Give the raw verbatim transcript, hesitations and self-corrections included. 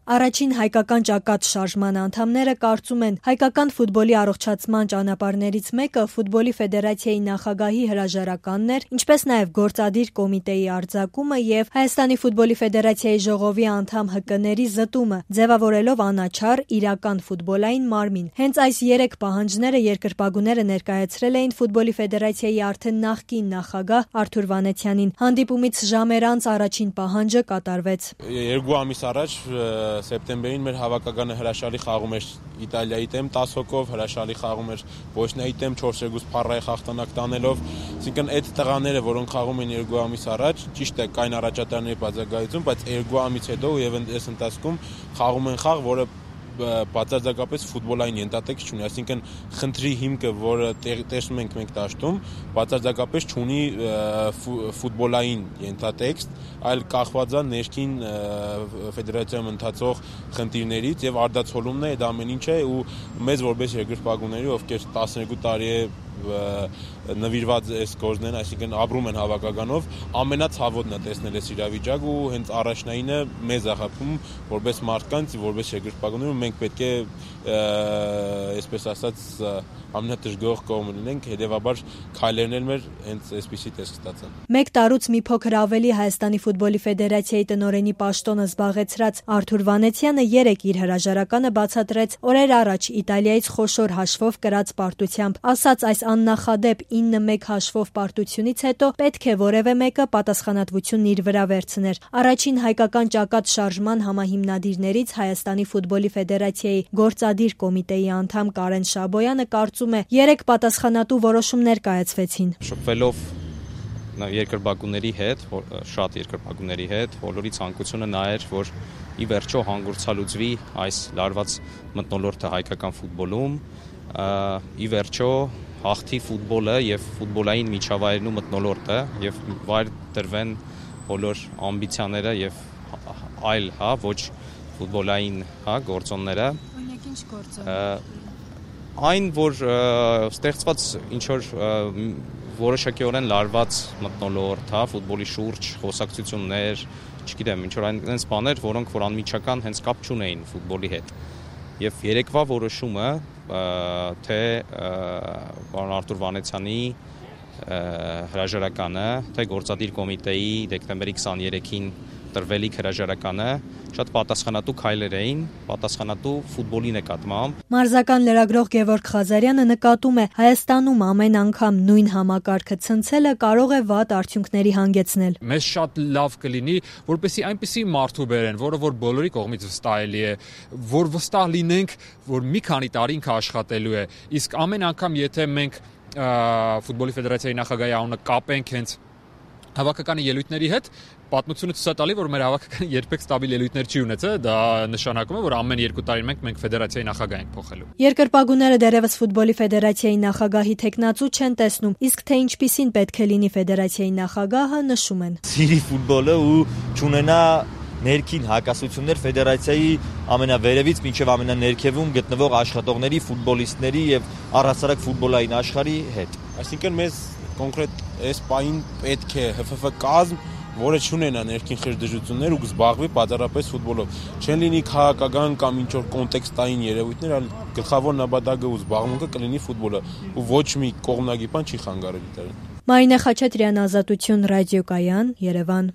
Առաջին հայկական ճակատ շարժման անդամները կարծում են, հայկական ֆուտբոլի առողջացման ճանապարհներից մեկը ֆուտբոլի ֆեդերացիայի նախագահի հրաժարականն էր, ինչպես նաև գործադիր կոմիտեի արձակումը եւ Հայաստանի ֆուտբոլի ֆեդերացիայի ժողովի անդամ ՀԿ-ների զտումը, ձևավորելով անաչառ իրական ֆուտբոլային մարմին։ Հենց այս երեք պահանջները երկրպագուները ներկայացրել էին ֆուտբոլի ֆեդերացիայի արդեն նախկին նախագահ Արթուր Վանեցյանին։ Հանդիպումից ժամեր անց առաջին պահանջը կատարվեց։ Երկու ամիս առաջ սեպտեմբերին մեր հավաքականը հրաշալի խաղում էր Իտալիայի դեմ տասը հոգով, հրաշալի խաղում էր Բոսնիայի դեմ չորս երկու Սփառայի հաղթանակ տանելով, այսինքն այդ տղաները, որոնք խաղում են երկու ամիս առաջ, ճիշտ է, կային առաջատարների բացակայություն, բայց երկու ամիս հետո եւ այս ընթացքում խաղում են խաղ, որը բացարձակապես ֆուտբոլային ենթատեքստ չունի, այսինքն խնդրի հիմքը, որը տեսնում ենք մենք դաշտում, բացարձակապես չունի ֆուտբոլային ենթատեքստ, այլ կախված է ներքին ֆեդերացիայում ընթացող խնդիրներից եւ արդացոլումն է, դա ամեն ինչ է ու մեզ որպես երկրպագուների, ովքեր տասներկու տարի է նվիրված այս գործն են, այսինքն ապրում են հավաքականով, ամենացավոտն է տեսնել այս իրավիճակը ու հենց առաջնայինը մեզ է խփում որպես մարդկանց, որպես երկրպագուներ ու մենք պետք է այսպես ասած ամենատժգոհ կողմը լինենք, հետեւաբար քայլերն էլ մեր հենց այսպիսի տեսք ստացան։ Մեկ տարուց մի փոքր ավելի Հայաստանի ֆուտբոլի ֆեդերացիայի տնօրենի պաշտոնը զբաղեցրած Արթուր Վանեցյանը երեկ իր հրաժարականը բացատրեց օրեր առաջ Իտալիայից խոշոր հաշվով կրած պարտությամբ, ասաց այս աննախադեպ ինը մեկ հաշվով պարտությունից հետո պետք է որևէ մեկը պատասխանատվությունն իր վրա վերցներ։ Առաջին հայկական ճակատ շարժման համահիմնադիրներից Հայաստանի ֆուտբոլի ֆեդերացիայի գործադիր կոմիտեի անդամ Կարեն Շաբոյանը կարծում է, երեք պատասխանատու որոշումներ կայացվեցին։ Շփվելով երկրպագուների հետ, շատ երկրպագուների հետ, բոլորի ցանկությունը նա էր, որ ի վերջո հանգուցալուծվի այս լարված մթնոլորտը հայկական ֆուտբոլում, ի վերջո հաղթի ֆուտբոլը եւ ֆուտբոլային միջավայրն ու մթնոլորտը եւ վայր դրվեն բոլոր ամբիցիաները եւ այլ, հա, ոչ ֆուտբոլային, հա, գործոնները։ Օրինակ ինչ գործոն։ Այն, որ ստեղծված ինչ որ որոշակիորեն լարված մթնոլորտ, հա, ֆուտբոլի շուրջ խոսակցություններ, չգիտեմ, ինչ որ այնպես բաներ, որոնք որ անմիջական հենց կապ չունեին ֆուտբոլի հետ։ Եվ երեկվա որոշումը, թե պարոն Արթուր Վանեցյանի հրաժարականը, թե գործադիր կոմիտեի դեկտեմբերի քսաներեքին տրվելիք հրաժարականը շատ պատասխանատու քայլեր էին, պատասխանատու ֆուտբոլի նկատմամբ։ Մարզական լրագրող Գևորգ Ղազարյանը նկատում է, Հայաստանում ամեն անգամ նույն համակարգը ցնցելը կարող է վատ արդյունքների հանգեցնել։ Մեզ շատ լավ կլինի, որպեսզի այնպիսի մարդու բերեն, որը որ բոլորի կողմից վստահելի է, որ վստահ լինենք, որ մի քանի տարի ինքը աշխատելու է։ Իսկ ամեն անգամ, եթե մենք ֆուտբոլի ֆեդերացիայի նախագահի անունը կապենք հենց հավաքականի ելույթների հետ, պատմությունը ցույց է տալի, որ մեր հավաքականը երբեք ստաբիլ ելույթներ չի ունեցել, դա նշանակում է, որ ամեն երկու տարին մենք մենք ֆեդերացիայի նախագահ ենք փոխելու։ Երկրպագուները դեռևս ֆուտբոլի ֆեդերացիայի նախագահի տեխնացու չեն տեսնում, իսկ թե ինչպիսին պետք է լինի ֆեդերացիայի նախագահը, նշում են։ Սիրի ֆուտբոլը ու չունենա ներքին հակասություններ ֆեդերացիայի ամենավերևից մինչև ամենաներքևում գտնվող աշխատողների, ֆուտբոլիստների եւ առհասարակ ֆուտբոլային աշխարհի հետ։ Այսինքն մեզ կոնկրետ այս պահին պետք է ՀՖՖ կազմ, որը չունենա ներքին խժդժություններ ու զբաղվի բացառապես ֆուտբոլով։ Չեն լինի քաղաքական կամ ինչ որ կոնտեքստային երևույթներ, այլ գլխավոր նպատակը ու զբաղմունքը կլինի ֆուտբոլը ու ոչ մի կողմնակի բան չի խանգարել դրան։ Մարինե Խաչատրյան, Ազատություն, Ռադիոկայան, Երևան։